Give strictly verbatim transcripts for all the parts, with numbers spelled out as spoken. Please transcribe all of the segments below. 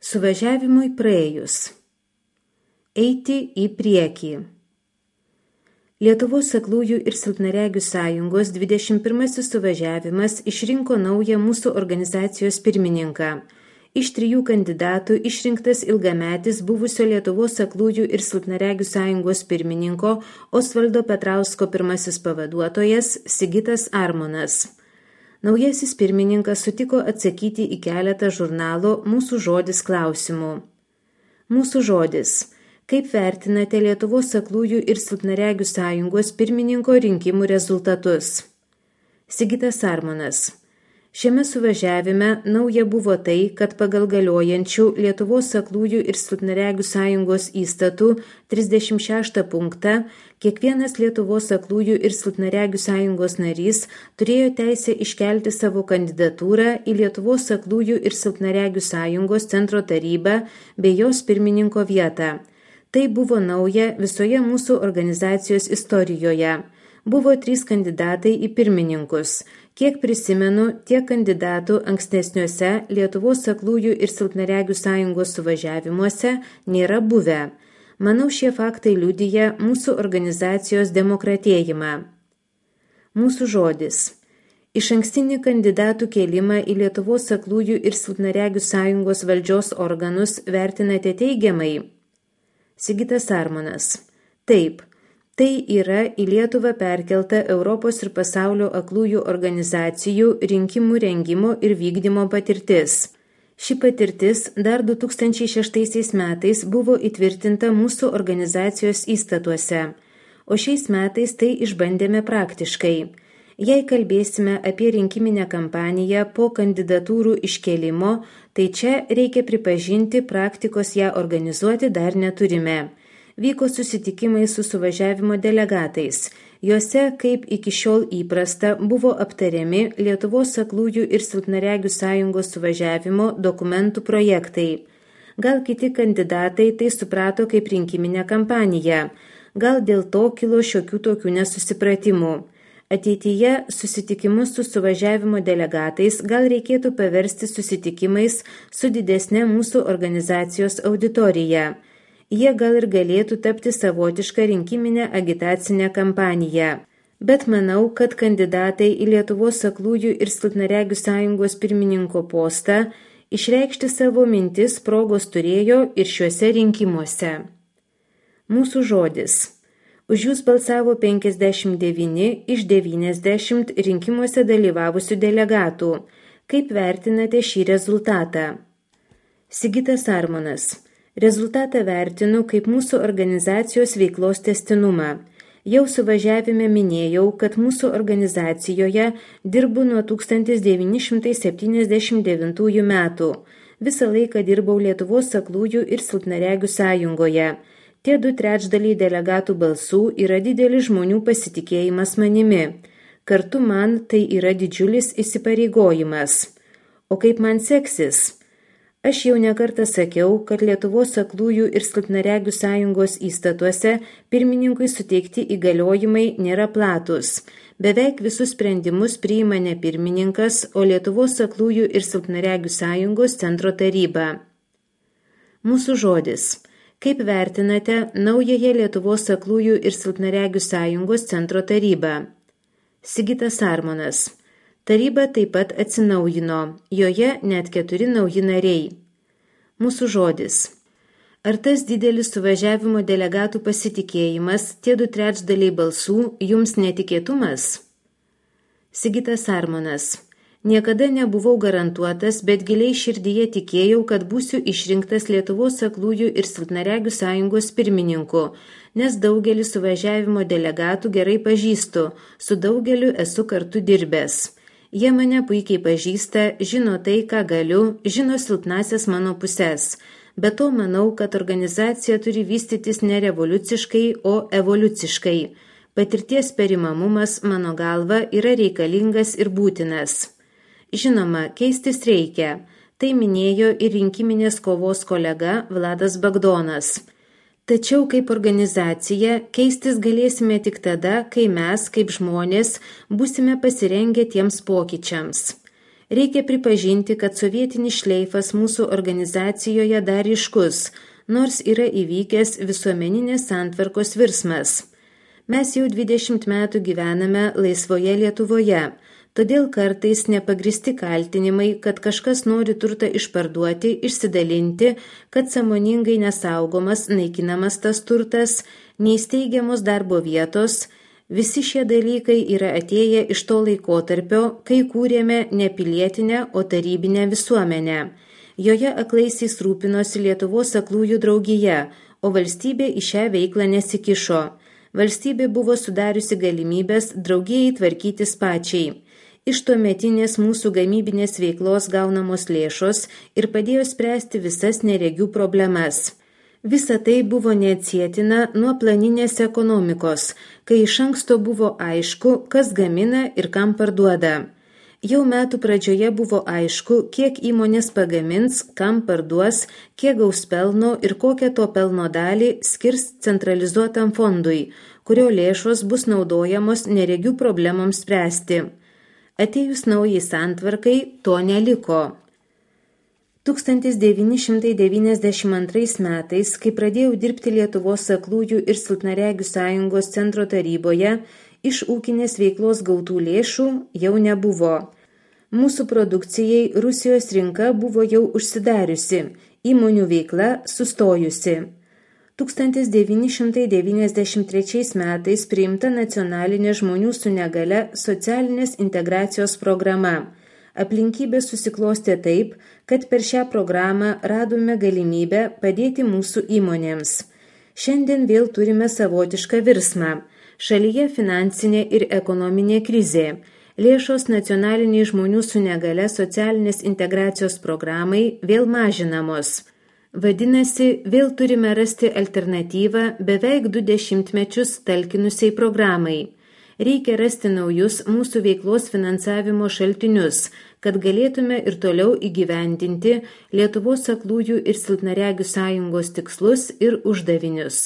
Suvažiavimui praėjus. Eiti į priekį. Lietuvos aklųjų ir silpnaregių sąjungos dvidešimt pirmasis suvažiavimas išrinko naują mūsų organizacijos pirmininką. Iš trijų kandidatų išrinktas ilgametis buvusio Lietuvos aklųjų ir silpnaregių sąjungos pirmininko Osvaldo Petrausko pirmasis pavaduotojas Sigitas Armonas. Naujasis pirmininkas sutiko atsakyti į keletą žurnalo Mūsų žodis klausimų. Mūsų žodis. Kaip vertinate Lietuvos aklųjų ir silpnaregių sąjungos pirmininko rinkimų rezultatus? Sigitas Armonas. Šiame suvažiavime nauja buvo tai, kad pagal galiojančių Lietuvos aklųjų ir silpnaregių sąjungos įstatų trisdešimt šeštą punktą kiekvienas Lietuvos aklųjų ir silpnaregių sąjungos narys turėjo teisę iškelti savo kandidatūrą į Lietuvos aklųjų ir silpnaregių sąjungos centro tarybą bei jos pirmininko vietą. Tai buvo nauja visoje mūsų organizacijos istorijoje. Buvo trys kandidatai į pirmininkus. Kiek prisimenu, tiek kandidatų ankstesniuose Lietuvos aklųjų ir silpnaregių sąjungos suvažiavimuose nėra buvę. Manau, šie faktai liudija mūsų organizacijos demokratėjimą. Mūsų žodis. Išankstinį kandidatų kėlimą į Lietuvos aklųjų ir silpnaregių sąjungos valdžios organus vertinate teigiamai? Sigitas Armonas. Taip. Tai yra į Lietuvą perkelta Europos ir pasaulio aklųjų organizacijų rinkimų rengimo ir vykdymo patirtis. Ši patirtis dar du tūkstančiai šeštaisiais metais buvo įtvirtinta mūsų organizacijos įstatuose, o šiais metais tai išbandėme praktiškai. Jei kalbėsime apie rinkiminę kampaniją po kandidatūrų iškėlimo, tai čia reikia pripažinti, praktikos ją organizuoti dar neturime. Vyko susitikimai su suvažiavimo delegatais. Juose, kaip iki šiol įprasta, buvo aptariami Lietuvos aklųjų ir silpnaregių sąjungos suvažiavimo dokumentų projektai. Gal kiti kandidatai tai suprato kaip rinkiminę kampaniją. Gal dėl to kilo šiokių tokių nesusipratimų. Ateityje susitikimus su suvažiavimo delegatais gal reikėtų paversti susitikimais su didesne mūsų organizacijos auditorija. Jie gal ir galėtų tapti savotišką rinkiminę agitacinę kampaniją. Bet manau, kad kandidatai į Lietuvos aklųjų ir silpnaregių sąjungos pirmininko postą išreikšti savo mintis progos turėjo ir šiuose rinkimuose. Mūsų žodis. Už jūs balsavo penkiasdešimt devyni iš devyniasdešimt rinkimuose dalyvavusių delegatų. Kaip vertinate šį rezultatą? Sigitas Armonas. Rezultatą vertinu kaip mūsų organizacijos veiklos testinumą. Jau suvažiavime minėjau, kad mūsų organizacijoje dirbu nuo tūkstantis devyni šimtai septyniasdešimt devintųjų metų. Visą laiką dirbau Lietuvos aklųjų ir silpnaregių sąjungoje. Tie du trečdaliai delegatų balsų yra didelis žmonių pasitikėjimas manimi. Kartu man tai yra didžiulis įsipareigojimas. O kaip man seksis? Aš jau nekartą sakiau, kad Lietuvos aklųjų ir silpnaregių sąjungos įstatuose pirmininkui suteikti įgaliojimai nėra platus. Beveik visus sprendimus priima ne pirmininkas, o Lietuvos aklųjų ir silpnaregių sąjungos centro taryba. Mūsų žodis. Kaip vertinate naująją Lietuvos aklųjų ir silpnaregių sąjungos centro tarybą? Sigitas Armonas. Taryba taip pat atsinaujino, joje net keturi nauji nariai. Mūsų žodis. Ar tas didelis suvažiavimo delegatų pasitikėjimas, tie du trečdaliai balsų, jums netikėtumas? Sigitas Armonas. Niekada nebuvau garantuotas, bet giliai širdyje tikėjau, kad būsiu išrinktas Lietuvos aklųjų ir silpnaregių sąjungos pirmininku, nes daugelį suvažiavimo delegatų gerai pažįstu, su daugeliu esu kartu dirbęs. Jie mane puikiai pažįsta, žino tai, ką galiu, žino silpnasias mano pusės. Be to manau, kad organizacija turi vystytis ne revoliuciškai, o evoliuciškai. Patirties perimamumas, mano galva, yra reikalingas ir būtinas. Žinoma, keistis reikia. Tai minėjo ir rinkiminės kovos kolega Vladas Bagdonas. Tačiau kaip organizacija keistis galėsime tik tada, kai mes, kaip žmonės, būsime pasirengę tiems pokyčiams. Reikia pripažinti, kad sovietinis šleifas mūsų organizacijoje dar ryškus, nors yra įvykęs visuomeninės santvarkos virsmas. Mes jau dvidešimt metų gyvename laisvoje Lietuvoje, todėl kartais nepagristi kaltinimai, kad kažkas nori turtą išparduoti, išsidalinti, kad sąmoningai nesaugomas, naikinamas tas turtas, neįsteigiamos darbo vietos. Visi šie dalykai yra atėję iš to laikotarpio, kai kūrėme ne pilietinę, o tarybinę visuomenę. Joje aklaisiais rūpinosi Lietuvos aklųjų draugija, o valstybė į šią veiklą nesikišo. Valstybė buvo sudariusi galimybės draugijai tvarkytis pačiai. Iš tuometinės mūsų gamybinės veiklos gaunamos lėšos ir padėjo spręsti visas neregių problemas. Visa tai buvo neatsietina nuo planinės ekonomikos, kai iš anksto buvo aišku, kas gamina ir kam parduoda. Jau metų pradžioje buvo aišku, kiek įmonės pagamins, kam parduos, kiek gaus pelno ir kokią to pelno dalį skirs centralizuotam fondui, kurio lėšos bus naudojamos neregių problemoms spręsti. Atėjus naujai santvarkai, to neliko. tūkstantis devyni šimtai devyniasdešimt antrais metais, kai pradėjau dirbti Lietuvos aklųjų ir silpnaregių sąjungos centro taryboje, iš ūkinės veiklos gautų lėšų jau nebuvo. Mūsų produkcijai Rusijos rinka buvo jau užsidariusi, įmonių veikla sustojusi. tūkstantis devyni šimtai devyniasdešimt trečiais metais priimta nacionalinė žmonių su negale socialinės integracijos programa. Aplinkybės susiklostė taip, kad per šią programą radome galimybę padėti mūsų įmonėms. Šiandien vėl turime savotišką virsmą. Šalyje finansinė ir ekonominė krizė. Lėšos nacionaliniai žmonių su negale socialinės integracijos programai vėl mažinamos. Vadinasi, vėl turime rasti alternatyvą beveik du dešimtmečius talkinusiai programai. Reikia rasti naujus mūsų veiklos finansavimo šaltinius, kad galėtume ir toliau įgyvendinti Lietuvos aklųjų ir silpnaregių sąjungos tikslus ir uždavinius.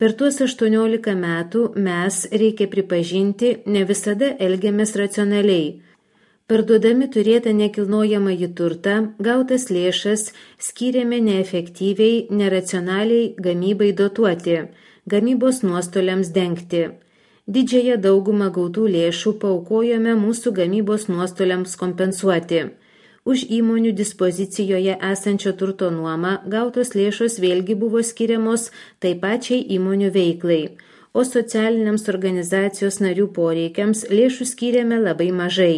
Per tuos aštuoniolika metų mes, reikia pripažinti, ne visada elgiamės racionaliai. Parduodami turėtą nekilnojamąjį turtą, gautas lėšas skyrėme neefektyviai, neracionaliai gamybai dotuoti, gamybos nuostoliams dengti. Didžiąją daugumą gautų lėšų paaukojome mūsų gamybos nuostoliams kompensuoti. Už įmonių dispozicijoje esančio turto nuomą gautos lėšos vėlgi buvo skiriamos taip pačiai įmonių veiklai, o socialiniams organizacijos narių poreikiams lėšų skyrėme labai mažai.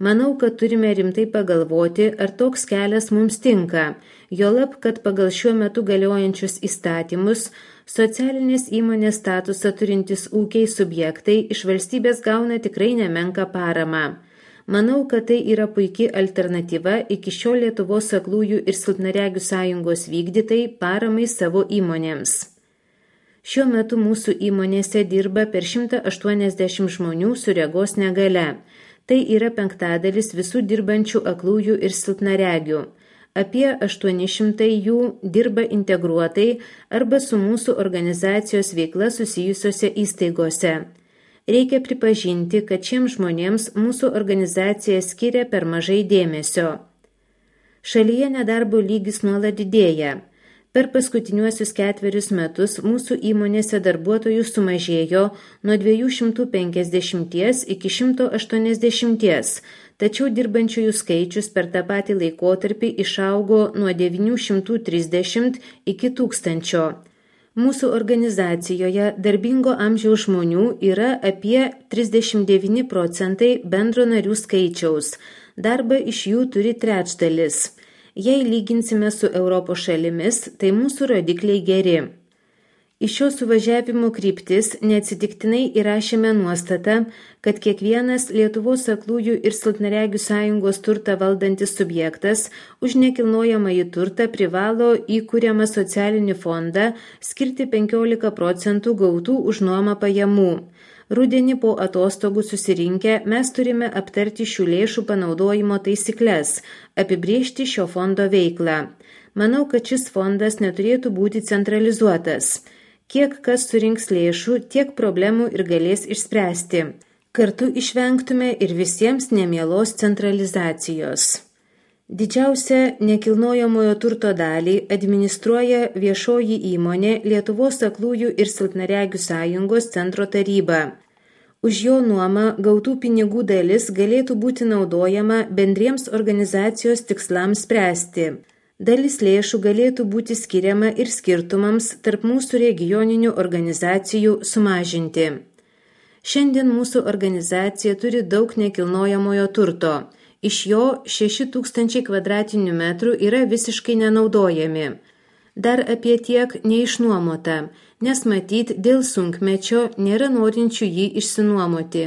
Manau, kad turime rimtai pagalvoti, ar toks kelias mums tinka, juolab, kad pagal šiuo metu galiojančius įstatymus socialinės įmonės statusą turintys ūkiai subjektai iš valstybės gauna tikrai nemenką paramą. Manau, kad tai yra puiki alternatyva iki šiol Lietuvos aklųjų ir silpnaregių sąjungos vykdytai paramai savo įmonėms. Šiuo metu mūsų įmonėse dirba per šimtą aštuoniasdešimt žmonių su regos negale. Tai yra penktadalis visų dirbančių aklųjų ir silpnaregių. Apie aštuoni šimtai jų dirba integruotai arba su mūsų organizacijos veikla susijusiose įstaigose. Reikia pripažinti, kad šiems žmonėms mūsų organizacija skiria per mažai dėmesio. Šalyje nedarbo lygis nuolat didėja. Per paskutiniuosius ketverius metus mūsų įmonėse darbuotojų sumažėjo nuo dviejų šimtų penkiasdešimties iki šimto aštuoniasdešimties, tačiau dirbančiųjų skaičius per tą patį laikotarpį išaugo nuo devynių šimtų trisdešimt iki tūkstančio. Mūsų organizacijoje darbingo amžiaus žmonių yra apie trisdešimt devyni procentai bendro narių skaičiaus. Darbą iš jų turi trečdalis. Jei lyginsime su Europos šalimis, tai mūsų rodikliai geri. Iš šio suvažiavimo kryptis neatsitiktinai įrašėme nuostatą, kad kiekvienas Lietuvos aklųjų ir silpnaregių sąjungos turtą valdantis subjektas už nekilnojamąjį turtą privalo įkuriamą socialinį fondą skirti penkiolika procentų gautų už nuomą pajamų. Rudenį po atostogų susirinkę mes turime aptarti šių lėšų panaudojimo taisyklės, apibrėžti šio fondo veiklą. Manau, kad šis fondas neturėtų būti centralizuotas. Kiek kas surinks lėšų, tiek problemų ir galės išspręsti. Kartu išvengtume ir visiems nemielos centralizacijos. Didžiausią nekilnojamojo turto dalį administruoja viešoji įmonė Lietuvos aklųjų ir silpnaregių sąjungos centro taryba. Už jo nuomą gautų pinigų dalis galėtų būti naudojama bendriems organizacijos tikslams spręsti. Dalis lėšų galėtų būti skiriama ir skirtumams tarp mūsų regioninių organizacijų sumažinti. Šiandien mūsų organizacija turi daug nekilnojamojo turto. Iš jo šeši tūkstančiai kvadratinių metrų yra visiškai nenaudojami. Dar apie tiek neišnuomota, nes matyt dėl sunkmečio nėra norinčių jį išsinuomoti.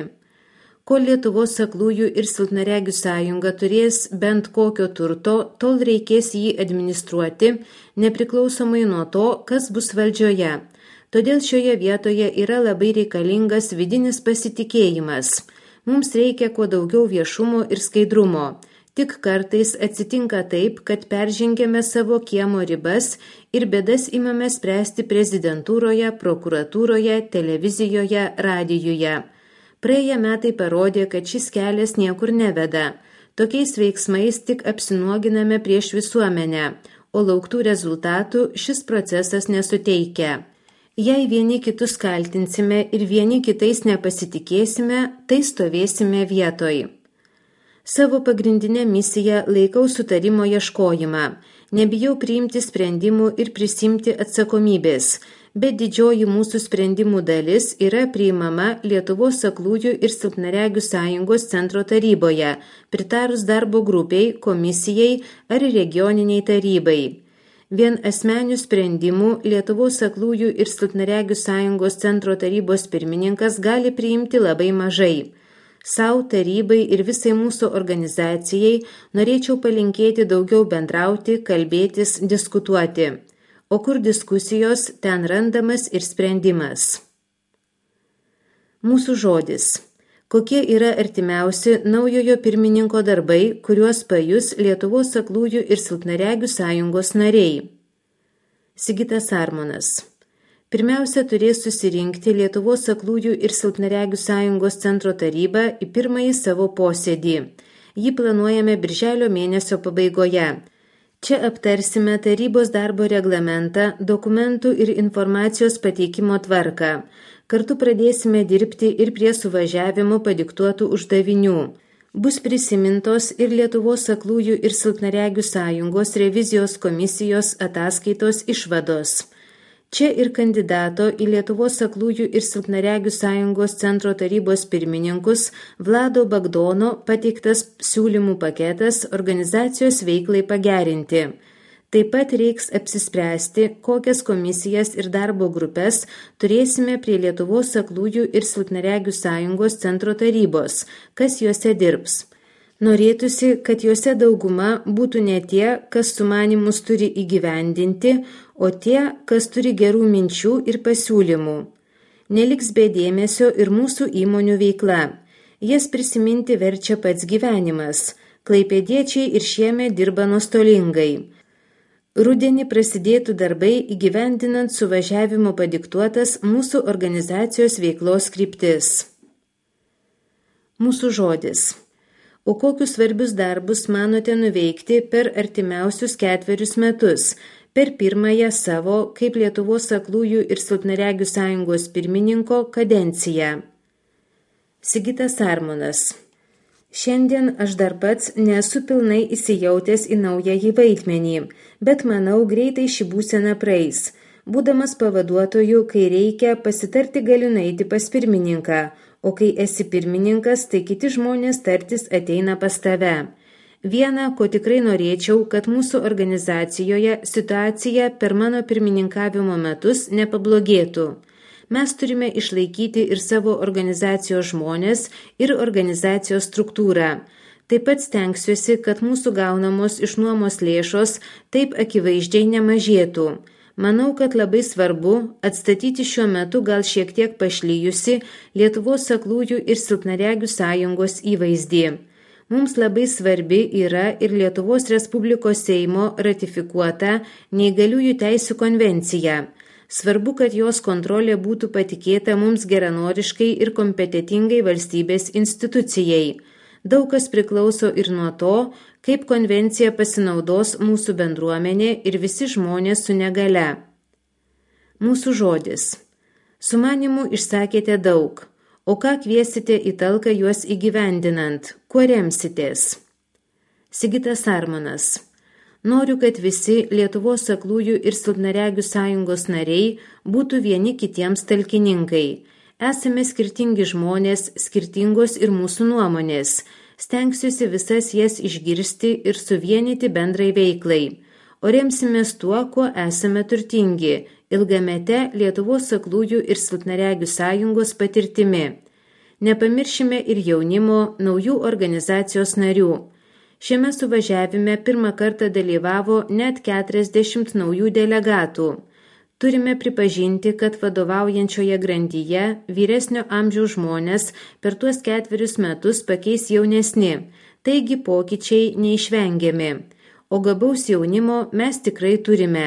Kol Lietuvos aklųjų ir silpnaregių sąjunga turės bent kokio turto, tol reikės jį administruoti, nepriklausomai nuo to, kas bus valdžioje. Todėl šioje vietoje yra labai reikalingas vidinis pasitikėjimas. Mums reikia kuo daugiau viešumo ir skaidrumo. Tik kartais atsitinka taip, kad peržengėme savo kiemo ribas ir bėdas imame spręsti prezidentūroje, prokuratūroje, televizijoje, radijuje. Praėję metai parodė, kad šis kelias niekur neveda. Tokiais veiksmais tik apsinuoginame prieš visuomenę, o lauktų rezultatų šis procesas nesuteikia. Jei vieni kitus kaltinsime ir vieni kitais nepasitikėsime, tai stovėsime vietoj. Savo pagrindinę misiją laikau sutarimo ieškojimą. Nebijau priimti sprendimų ir prisimti atsakomybės, bet didžioji mūsų sprendimų dalis yra priimama Lietuvos aklųjų ir silpnaregių sąjungos centro taryboje, pritarus darbo grupiai, komisijai ar regioniniai tarybai. Vien asmenių sprendimų Lietuvos aklųjų ir silpnaregių sąjungos centro tarybos pirmininkas gali priimti labai mažai. Sau, tarybai ir visai mūsų organizacijai norėčiau palinkėti daugiau bendrauti, kalbėtis, diskutuoti. O kur diskusijos, ten randamas ir sprendimas. Mūsų žodis. Kokie yra artimiausi naujojo pirmininko darbai, kuriuos pajus Lietuvos aklųjų ir silpnaregių sąjungos nariai? Sigitas Armonas. Pirmiausia, turės susirinkti Lietuvos aklųjų ir silpnaregių sąjungos centro taryba į pirmąjį savo posėdį. Jį planuojame birželio mėnesio pabaigoje. Čia aptarsime tarybos darbo reglamentą, dokumentų ir informacijos pateikimo tvarką. Kartu pradėsime dirbti ir prie suvažiavimo padiktuotų uždavinių. Bus prisimintos ir Lietuvos aklųjų ir silpnaregių sąjungos revizijos komisijos ataskaitos išvados. Čia ir kandidato į Lietuvos aklųjų ir silpnaregių sąjungos centro tarybos pirmininkus Vlado Bagdono pateiktas siūlymų paketas organizacijos veiklai pagerinti. Taip pat reiks apsispręsti, kokias komisijas ir darbo grupės turėsime prie Lietuvos aklųjų ir silpnaregių sąjungos centro tarybos, kas juose dirbs. Norėtųsi, kad juose dauguma būtų ne tie, kas sumanymus turi įgyvendinti, o tie, kas turi gerų minčių ir pasiūlymų. Neliks be dėmesio ir mūsų įmonių veikla. Jas prisiminti verčia pats gyvenimas. Klaipėdiečiai ir šiemet dirba nuostolingai. Rudenį prasidėtų darbai įgyvendinant suvažiavimo padiktuotas mūsų organizacijos veiklos kryptis. Mūsų žodis. O kokius svarbius darbus manote nuveikti per artimiausius ketverius metus, per pirmąją savo kaip Lietuvos aklųjų ir silpnaregių sąjungos pirmininko kadenciją? Sigitas Armonas. Šiandien aš dar pats nesu pilnai įsijautęs į naująjį vaidmenį, bet manau greitai ši būsena praeis. Būdamas pavaduotoju, kai reikia, pasitarti galiu nueiti pas pirmininką, o kai esi pirmininkas, tai kiti žmonės tartis ateina pas tave. Viena, ko tikrai norėčiau, kad mūsų organizacijoje situacija per mano pirmininkavimo metus nepablogėtų. Mes turime išlaikyti ir savo organizacijos žmonės ir organizacijos struktūrą. Taip pat stengsiuosi, kad mūsų gaunamos iš nuomos lėšos taip akivaizdžiai nemažėtų. Manau, kad labai svarbu atstatyti šiuo metu gal šiek tiek pašlyjusi Lietuvos aklųjų ir silpnaregių sąjungos įvaizdį. Mums labai svarbi yra ir Lietuvos Respublikos Seimo ratifikuota Neįgaliųjų teisių konvencija. Svarbu, kad jos kontrolė būtų patikėta mums geranoriškai ir kompetitingai valstybės institucijai. Daug kas priklauso ir nuo to, kaip konvencija pasinaudos mūsų bendruomenė ir visi žmonės su negale. Mūsų žodis. Sumanimų išsakėte daug, o ką kviesite į talką juos įgyvendinant, kuo remsitės? Sigitas Armonas. Noriu, kad visi Lietuvos aklųjų ir silpnaregių sąjungos nariai būtų vieni kitiems talkininkai. Esame skirtingi žmonės, skirtingos ir mūsų nuomonės. Stengsiuosi visas jas išgirsti ir suvienyti bendrai veiklai. O remsimės tuo, kuo esame turtingi, ilgamete Lietuvos aklųjų ir silpnaregių sąjungos patirtimi. Nepamiršime ir jaunimo, naujų organizacijos narių. Šiame suvažiavime pirmą kartą dalyvavo net keturiasdešimt naujų delegatų. Turime pripažinti, kad vadovaujančioje grandyje vyresnio amžiaus žmonės per tuos ketverius metus pakeis jaunesni, taigi pokyčiai neišvengiami. O gabaus jaunimo mes tikrai turime.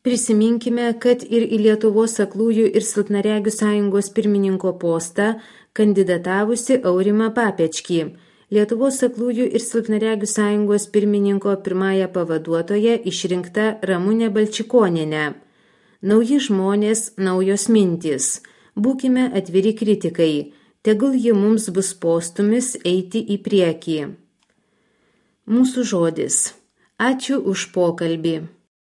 Prisiminkime, kad ir į Lietuvos aklųjų ir silpnaregių sąjungos pirmininko postą kandidatavusi Aurimą Papečkį, Lietuvos aklųjų ir silpnaregių sąjungos pirmininko pirmąją pavaduotoją išrinkta Ramunė Balčikonienė. Nauji žmonės, naujos mintys. Būkime atviri kritikai. Tegul ji mums bus postūmis eiti į priekį. Mūsų žodis. Ačiū už pokalbį.